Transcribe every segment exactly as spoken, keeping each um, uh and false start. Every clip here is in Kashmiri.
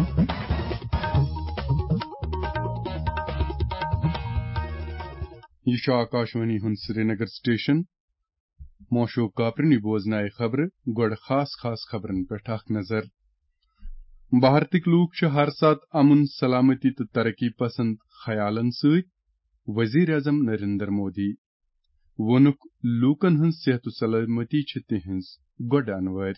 یہِ چھُ آکاشوانی ہُنٛد سرینگر سٹیشن۔ موشو کاپرنی بوزنایہِ خبرٕ، گۄڈٕ خاص خاص خبرن پٮ۪ٹھ اکھ نظر۔ بھارتٕکۍ لوٗکھ چھِ ہر ساتہٕ امن، سلامتی تہٕ ترقی پسند خیالن سۭتۍ وزیر اعظم نریندر مودی۔ ووٚنُکھ، لوٗکن ہٕنٛز صحت و سلامتی چھِ تِہنٛز گۄڈٕ انوٲرۍ۔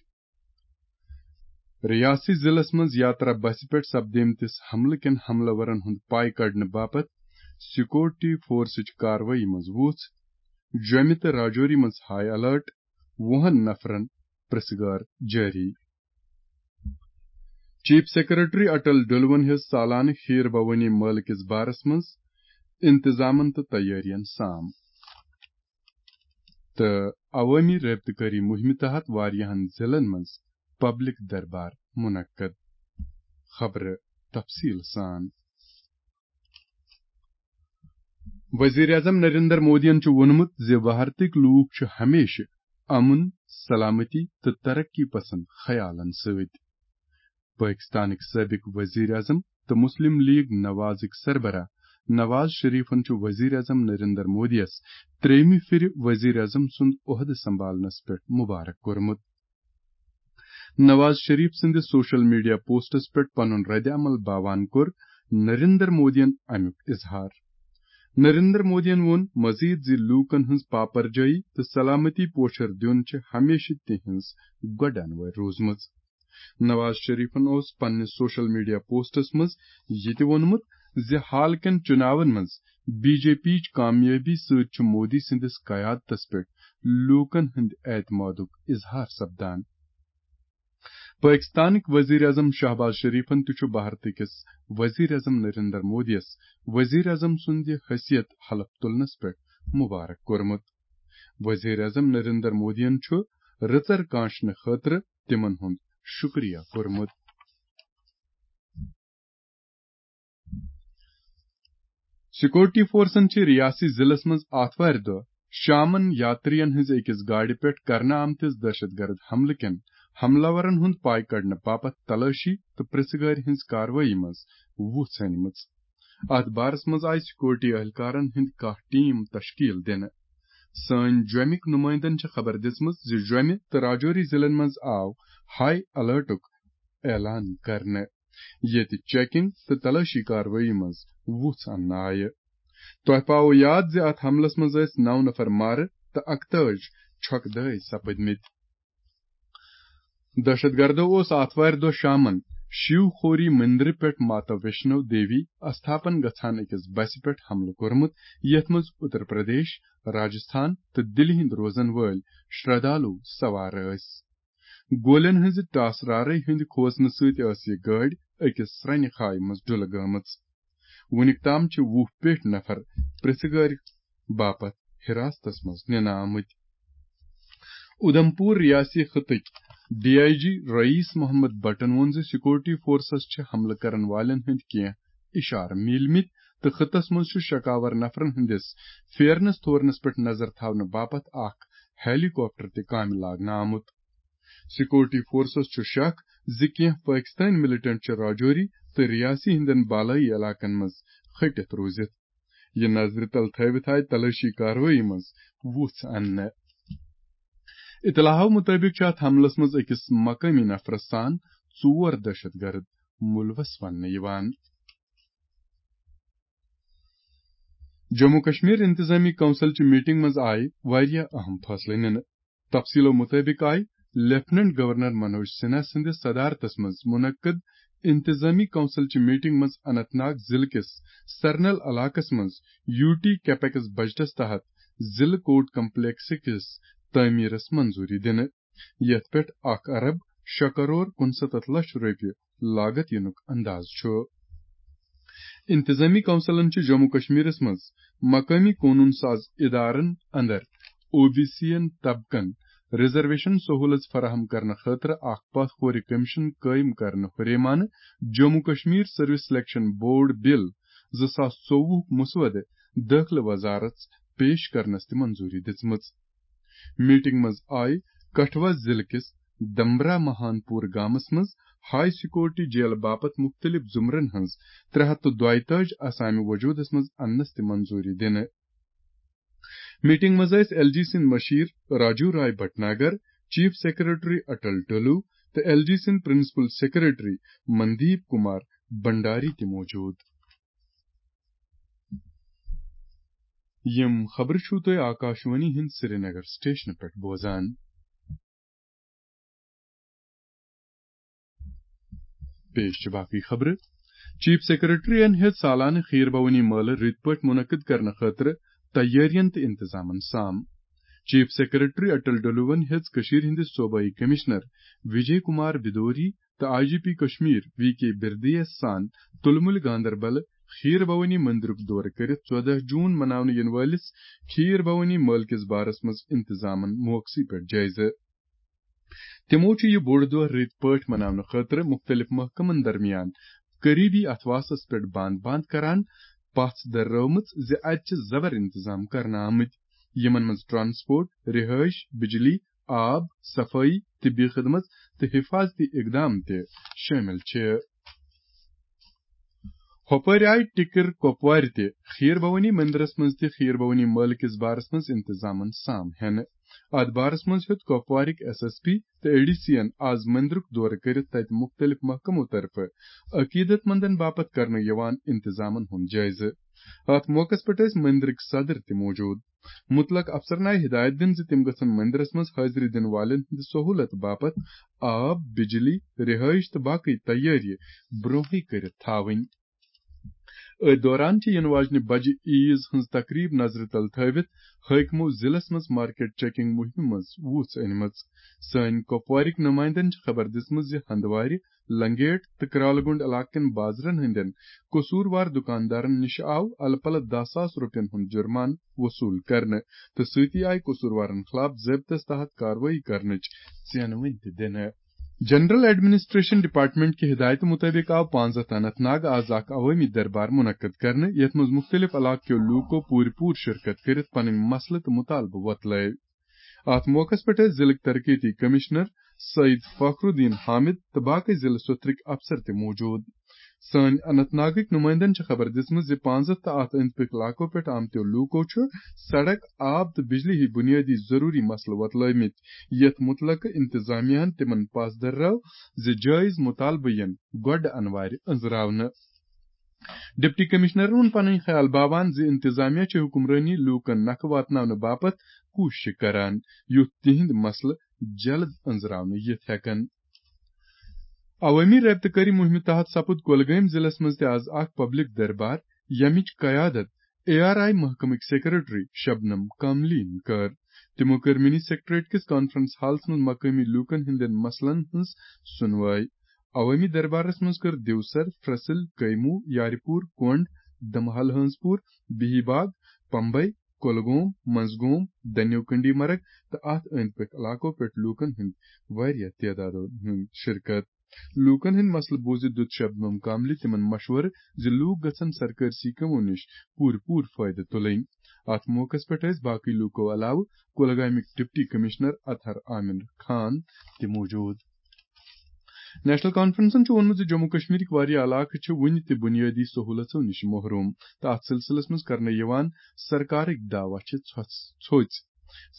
ریاسی ضلعس منٛز یاترا بسہِ پٮ۪ٹھ سپدیمتِس حملہٕ کٮ۪ن حملہٕ ورن ہُنٛد پاے کڑنہٕ باپتھ سیکورٹی فورسٕچ کاروٲیی منٛز وُژھ۔ جوٚمہِ تہٕ راجوری منٛز ہائی الرٹ، وُہن نفرن پرژھگار جٲری۔ چیف سیکرٹری اٹل ڈلون ہیٚژ سالانہٕ کھیٖر بھوانی مٲلہٕ کِس بارس منٛز انتظامن تہٕ تیٲرین سام۔ تہٕ عوٲمی رٲبطہٕ کٲری مُہِمہِ تحت واریاہن ضلعن منٛز پبلک دربار منعقد۔ خبرٕ تفصیل سان۔ وزیر اعظم نریندر مودیَن چھُ ووٚنمُت زِ بھارتٕکۍ لوٗکھ چھِ ہمیشہِ امن، سلامتی تہٕ ترقی پسند خیالن سۭتۍ۔ پٲکِستانٕکۍ سٲبِق ؤزیٖر اعظم تہٕ مُسلِم لیٖگ نوازٕکۍ سربراہ نواز شریفن چھُ ؤزیٖر اعظم نریندر مودیَس ترٛیٚیِمہِ پھِرِ ؤزیٖر اعظم سُنٛد عہدٕ سنبھالنس پٮ۪ٹھ مُبارک کوٚرمُت۔ نواز شریف سٕنٛدِس سوشل میڈیا پوسٹس پٮ۪ٹھ پنُن رد عمل باوان کوٚر نریندر مودیَن امیُک اظہار۔ نریندر مودیَن ووٚن مزید زِ لوٗکن ہٕنٛز پاپرجٲیی تہٕ سلامتی پوچھر دیُن چھِ ہمیشہِ تِہنٛز گۄڈٕ انوٲرۍ روٗزمٕژ۔ نواز شریفن اوس پننِس سوشل میڈیا پوسٹس منٛز یہِ تہِ ووٚنمُت زِ حال کٮ۪ن چُناون منٛز بی جے پیچ کامیٲبی سۭتۍ چھُ مودی سٕنٛدِس قیادتس پٮ۪ٹھ لوٗکن ہٕنٛدِ اعتمادُک اظہار سپدان۔ پٲکِستانٕکۍ ؤزیٖر اعظم شہباز شریفن تہِ چھُ بھارتہٕ کِس ؤزیٖر اعظم نریندر مودیَس ؤزیٖر اعظم سُنٛد یہِ حیثیت حلف تُلنَس پٮ۪ٹھ مُبارک کوٚرمُت۔ ؤزیٖر اعظم نریندر مودیَن چھُ رٕژر کانٛشنہٕ خٲطرٕ تِمن ہُنٛد شُکریہ کوٚرمُت۔ سیکورٹی فورسن چھِ ریاسی ضلعس منٛز آتھوارِ دۄہ شامن یاترین ہٕنٛزِ أکِس گاڑِ پٮ۪ٹھ کرنہٕ آمتِس دہشت گرد حملہٕ کٮ۪ن حملہٕ آورن ہُنٛد پاے کڑنہٕ باپتھ تلٲشی تہٕ پرژھٕ گٲرۍ ہٕنٛز کاروٲیی منٛز وُژھ أنمٕژ۔ اتھ بارس منٛز آیہِ سیکورٹی اہلکارن ہٕنٛدۍ کاہ ٹیم تشکیل دِنہٕ۔ سٲنۍ جوٚمِکۍ نُمٲیندن چھِ خبر دِژمٕژ زِ جوٚمہِ تہٕ راجوری ضلعن منٛز آو ہائی الرٹُک اعلان کرنہٕ، ییٚتہِ چیکنگ تہٕ تلٲشی کاروٲیی منٛز وُژھ اننہٕ آیہِ۔ تۄہہِ پاوو یاد زِ اتھ حملس منٛز ٲسۍ نو نفر مارٕ تہٕ اکتٲجۍ چھۄکہٕ دٲے سپٕدمٕتۍ۔ دہشت گردو اوس آتھوارِ دۄہ شامن شیو خوری مندرٕ پٮ۪ٹھ ماتا ویشنو دیوی استھاپن گژھان أکِس بسہِ پٮ۪ٹھ حملہٕ کوٚرمُت، یتھ منٛز اتر پردیش، راجستھان تہٕ دِلہِ ہٕنٛدۍ روزن وٲلۍ شردالو سوار ٲسۍ۔ گولٮ۪ن ہٕنٛزِ ٹاسرارے ہٕنٛدِ کھوژنہٕ سۭتۍ ٲس یہِ گٲڑۍ أکِس سرٛنہِ خایہِ منٛز ڈُلہٕ گٲمٕژ۔ وُنیُک تام چھِ وُہ پیٹھۍ نفر پرژھٕ گٲرۍ باپتھ حراستس منٛز نِنہٕ آمٕتۍ۔ اُدھمپور ریاستی خطٕکۍ ڈی آئی جی رئیس محمد بٹن ووٚن زِ سیکورٹی فورسس چھِ حملہٕ کرن والٮ۪ن ہٕنٛدۍ کینٛہہ اشارٕ میٖلمٕتۍ تہٕ خطس منٛز چھُ شکاور نفرن ہٕنٛدِس پھیرنس تھورنس پٮ۪ٹھ نظر تھاونہٕ باپتھ اکھ ہیلی کاپٹر تہِ کامہِ لاگنہٕ آمُت۔ سیکورٹی فورسز چھُ شک زِ کینٛہہ پٲکِستٲنۍ مِلٹنٹ چھِ راجوری تہٕ ریاسی ہٕنٛدٮ۪ن بالٲیی علاقن منٛز ۂٹِتھ روٗزِتھ۔ یہِ نظرِ تل تھٲوِتھ آیہِ تلٲشی کاروٲیی منٛز وُژھ اننہٕ۔ اطلاعو مُطٲبِق چھِ اتھ حملس منٛز أکِس مقٲمی نفرس سان ژور دہشت گرد مُلوث وننہٕ یِوان۔ جموں کشمیر انتظامی کونسل چہِ میٹنگ منٛز آیہِ واریاہ اہم فٲصلہٕ نِنہٕ۔ تفصیلو مُطٲبِق آیہِ لیفٹیننٹ گورنر منوج سنہا سٕنٛدِس صدارتس منٛز منعقد انتظامی کونسل چہِ میٹنگ منٛز اننت ناگ ضلعہٕ کِس سرنل علاقس منٛز یوٗ ٹی کیپیکس بجٹس تحت ضلعہٕ کورٹ کمپلیکس کِس تعمیرس منظوٗری دِنہٕ، یتھ پٮ۪ٹھ اکھ ارب شےٚ کرور کُنستتھ لچھ رۄپیہِ لاگت یِنُک انداز چھُ۔ انتظامی کونسلن چھِ جموں کشمیرس منٛز مقٲمی قونوٗن ساز ادارن اندر او بی سی ین طبقن ریزرویشن سہولژ فراہم کرنہٕ خٲطرٕ اکھ پتھ کھورِ کمیشن قٲیِم کرنہٕ ہُریمانہٕ Jammu Kashmir service selection board bill زٕ ساس ژوٚوُہُک مسودٕ دٲخلہٕ وزارت پیش کرنس تہِ منظوٗری دِژمٕژ۔ میٹنگ منٛز آیہِ کٹھوا ضلعہٕ کِس دمبرا مہان پور گامس منٛز ہائی سیکورٹی جیل باپتھ مُختٔلِف زُمرن ہٕنٛز ترٛےٚ ہَتھ تہٕ دۄیہِ تٲجی آسامہِ وجوٗدس منٛز اننس تہِ منظوٗری دِنہٕ۔ میٹنگ منٛز ٲسۍ ایل جی سٕنٛدۍ مشیر راجو راے بھٹناگر، چیف سیکرٹری اٹل ڈولو تہٕ ایل جی سٕنٛدۍ پرنسپل سیکرٹری مندیپ کمار بھنڈاری تہِ موجود۔ یِم خبرٕ چھِو تُہۍ آکاشوانی ہٕنٛدِ سرینگر سٹیشنہٕ پٮ۪ٹھ بوزان۔ پیش چھِ باقٕے خبرٕ۔ چیف سیکرٹریَن ہیٚژ سالانہٕ خیٖر بھوانی مٲلہٕ رٕتۍ پٲٹھۍ مُنعقد کرنہٕ خٲطرٕ تیٲرین تہٕ انتظامن سام۔ چیف سیکرٹری اٹل ڈولوَن ہیٚژ کٔشیٖرِ ہٕنٛدِس صوبٲئی کمشنر وجے کمار بدوری تہٕ I G P Kashmir V K Birdi سان تُلمُلہِ گاندربل خیٖر بھوانی مندرُک دورٕ کٔرِتھ ژۄدہ جون مناونہٕ یِنہٕ وٲلِس خیٖر بھوانی مٲلہٕ کِس بارس منٛز انتظامن موقعہٕ پٮ۪ٹھ جٲیزٕ۔ تِمو چھُ یہِ بوٚڑ دۄہ رٕتۍ پٲٹھۍ مناونہٕ خٲطرٕ مُختٔلِف محکمن درمیان قریبی اتھواسس پٮ۪ٹھ بانٛد بانٛد کران پژھ دررٲومٕژ زِ اتہِ چھِ زبر انتظام کرنہٕ آمٕتۍ، یِمن منٛز ٹرانسپورٹ، رہٲیش، بجلی، آب، صفٲیی، طبی خدمت تہٕ حفاظتی اقدام تہِ شٲمِل چھِ۔ ہۄپٲرۍ آیہِ ٹِکر کۄپوارِ تہِ خیٖر بھوانی مندرس منٛز تہِ خیٖر بھوانی مٲلہٕ کِس بارس منٛز انتظامن سام ہٮ۪نہٕ۔ اتھ بارس منٛز ہیوٚت کۄپوارٕکۍ ایس ایس پی تہٕ اے ڈی سی ین آز مندرُک دورٕ کٔرِتھ تتہِ مُختٔلِف محکمو طرفہٕ عقیدت مندن باپتھ کرنہٕ یِوان انتظامن ہُنٛد جٲیزٕ۔ اتھ موقعس پٮ۪ٹھ ٲسۍ مندرٕکۍ صدر تہِ موجود۔ مُتلق افسرن آیہِ ہدایت دِنہٕ زِ تِم گژھن مندرس منٛز حٲضری دِنہٕ والٮ۪ن ہٕنٛدِ سہوٗلت باپتھ آب، بجلی، رہٲیش تہٕ باقٕے تیٲری برونٛہٕے کٔرِتھ تھاوٕنۍ۔ أتھۍ دوران چھِ یِنہٕ واجنہِ بجہِ عیٖز ہٕنٛز تقریب نظرِ تل تھٲوِتھ حٲکمو ضلعس منٛز مارکیٹ چیکنگ مُہِمہِ منٛز وُژھ أنمٕژ۔ سٲنۍ کۄپوارٕکۍ نُمایندن چھِ خبر دِژمٕژ زِ ہندوارِ، لنگیٹ تہٕ کرالہٕ گونڈ علاقہٕ کٮ۪ن بازرن ہٕنٛدٮ۪ن قصوٗروار دُکاندارن نِش آو الہٕ پلہٕ دَہ ساس رۄپین ہُنٛد جُرمانہٕ وصوٗل کرنہٕ تہٕ سۭتی آیہِ قصوٗروارن خلاف ضٲبطس تحت کاروٲیی کرنٕچ ژینوٕنۍ تہِ دِنہٕ۔ جنرل ایڈمنسٹریشن ڈپارٹمنٹ کہِ ہدایتہٕ مُطٲبِق آو پانٛژھ ہَتھ اننت ناگ آز اکھ عوٲمی دربار مُنعقد کرنہٕ، یتھ منٛز مُختٔلِف علاقہٕ کیو لوٗکو پوٗرٕ پوٗرٕ شرکت کٔرِتھ پنٕنۍ مسلہٕ تہٕ مُطالبہٕ وۄتلٲوۍ۔ اتھ موقعس پٮ۪ٹھ ٲسۍ ضلعٕکۍ ترقیتی کمشنر سعید فخر الدین حامد تہٕ باقٕے ضلعہٕ سوٚتھرٕکۍ افسر تہِ موجود۔ سٲنۍ اننت ناگٕکۍ نُمٲیندن چھِ خبر دِژمٕژ زِ پانٛژھ ہَتھ تہٕ اتھ أنٛدۍ پٔکۍ علاقو پٮ۪ٹھ آمتیو لوٗکو چھُ سڑک، آب تہٕ بجلی ہٕوۍ بُنیٲدی ضروٗری مسلہٕ وۄتلٲومٕتۍ، یتھ مُتلقہٕ انتظامیہ ہن تِمن پاس دررٲو زِ جٲیز مُطالبہٕ یِن گۄڈٕ انوارِ أنٛزراونہٕ۔ ڈپٹی کمشنرن ووٚن پنٕنۍ خیال باوان زِ انتظامیہ چھِ حکمرٲنی لوٗکن نکھٕ واتناونہٕ باپتھ کوٗشش کران، یُتھ تِہنٛدۍ مسلہٕ جلد أنٛزراونہٕ یِتھ ہٮ۪کن۔ عوٲمی رٲبطہٕ کٲری مُہِمہِ تحت سپُد کۄلگٲمۍ ضلعس منٛز تہِ آز اکھ پبلک دربار، ییٚمِچ قیادت اے آر آئی محکمٕکۍ سیکرٹری شبنم کاملیَن کٔر۔ تِمَو کٔر منی سیکرٹریٹ کِس کانفرنس ہالَس منٛز مقٲمی لوٗکَن ہٕنٛدٮ۪ن مسلن ہٕنٛز سُنوٲے۔ عوٲمی دربارَس منٛز کٔر دیوسر، فرسل، کیمو، یارِ پوٗر، کونڈ، دمحل ہٲنز پوٗر، بِہی باغ، پمبئی، کۄلگوم، منزگوم، دنیو کنڈی مرگ تہٕ اَتھ أنٛدۍ پٔکھۍ علاقو پٮ۪ٹھ لوٗکَن ہٕنٛدۍ واریاہ تعدادَن ہٕنٛز شرکت۔ لوٗکَن ہٕنٛدۍ مسلہٕ بوٗزِتھ دیُت شبنم کاملہِ تِمَن مشورٕ زِ لوٗکھ گژھن سرکٲرۍ سکیمو نِش پوٗرٕ پوٗرٕ فٲیدٕ تُلٕنۍ۔ اَتھ موقعَس پٮ۪ٹھ ٲسۍ باقٕے لوٗکو علاوٕ کۄلگامٕکۍ ڈپٹی کمشنر اطہر عامر خان تہِ موجود۔ نیشنل کانفرنسن چھُ ووٚنمُت زِ جموں کشمیرٕکۍ واریاہ علاقہٕ چھِ وُنہِ تہِ بُنیٲدی سہوٗلژو نِش محروم تہٕ اَتھ سلسلس منٛز کرنہٕ یِوان سرکارٕکۍ دعویٰ چھِ ژھۄژ-، ژھوٚژ۔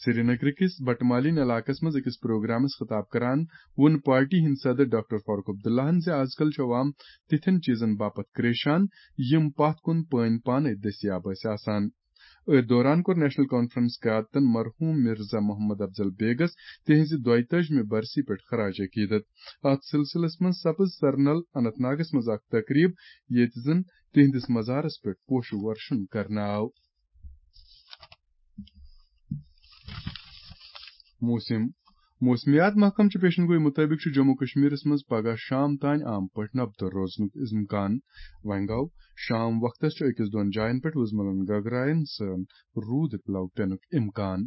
سرینگرٕ کِس بٹہٕ مالیُن علاقس منٛز أکِس پروگرامس خطاب کران ووٚن پارٹی ہٕنٛدۍ صدر ڈاکٹر فاروق عبداللہن زِ آز کل چھُ عوام تِتھٮ۪ن چیٖزن باپتھ کریشان، یِم پتھ کُن پٲنۍ پانے دٔستیاب ٲسۍ آسان۔ أتھۍ دوران کوٚر نیشنل کانفرنس قیادتن مرحوم مرزا محمد افضل بیگس تِہنٛزِ دۄیتٲجِمہِ برسی پٮ۪ٹھ خراج عقیدت۔ اتھ سلسلس منٛز سپٕز سرنل اننت ناگس منٛز اکھ تقریب، ییٚتہِ زن تِہنٛدِس مزارس پٮ۪ٹھ پوشہٕ ورشن کرنہٕ آو۔ موسم۔ موسمیات محکمہٕ چہِ پیشن گوئی مُطٲبِق چھُ جموں کشمیرس منٛز پگہہ شام تام عام پٲٹھۍ نبتہٕ روزنُک امکان۔ وۄنۍ گوٚو، شام وقتس چھُ أکِس دۄن جاین پٮ۪ٹھ وُزملن گگراین سان روٗدٕ پلو پینُک امکان۔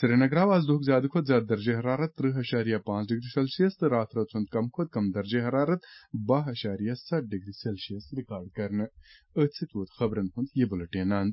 سرینگر آو آز دۄہُک زیادٕ کھۄتہٕ زیادٕ درجہ حرارت ترٕہ اَشاریہ پانٛژھ ڈگری سیلسیس تہٕ راتھ رٲژ ہُنٛد کم کھۄتہٕ کم درجہ حرارت باہ اَشاریہ ستھ ڈگری سیلسیس ریکارڈ کرنہٕ۔ أتھۍ سۭتۍ ووت خبرن ہُنٛد یہِ بُلٹین اند۔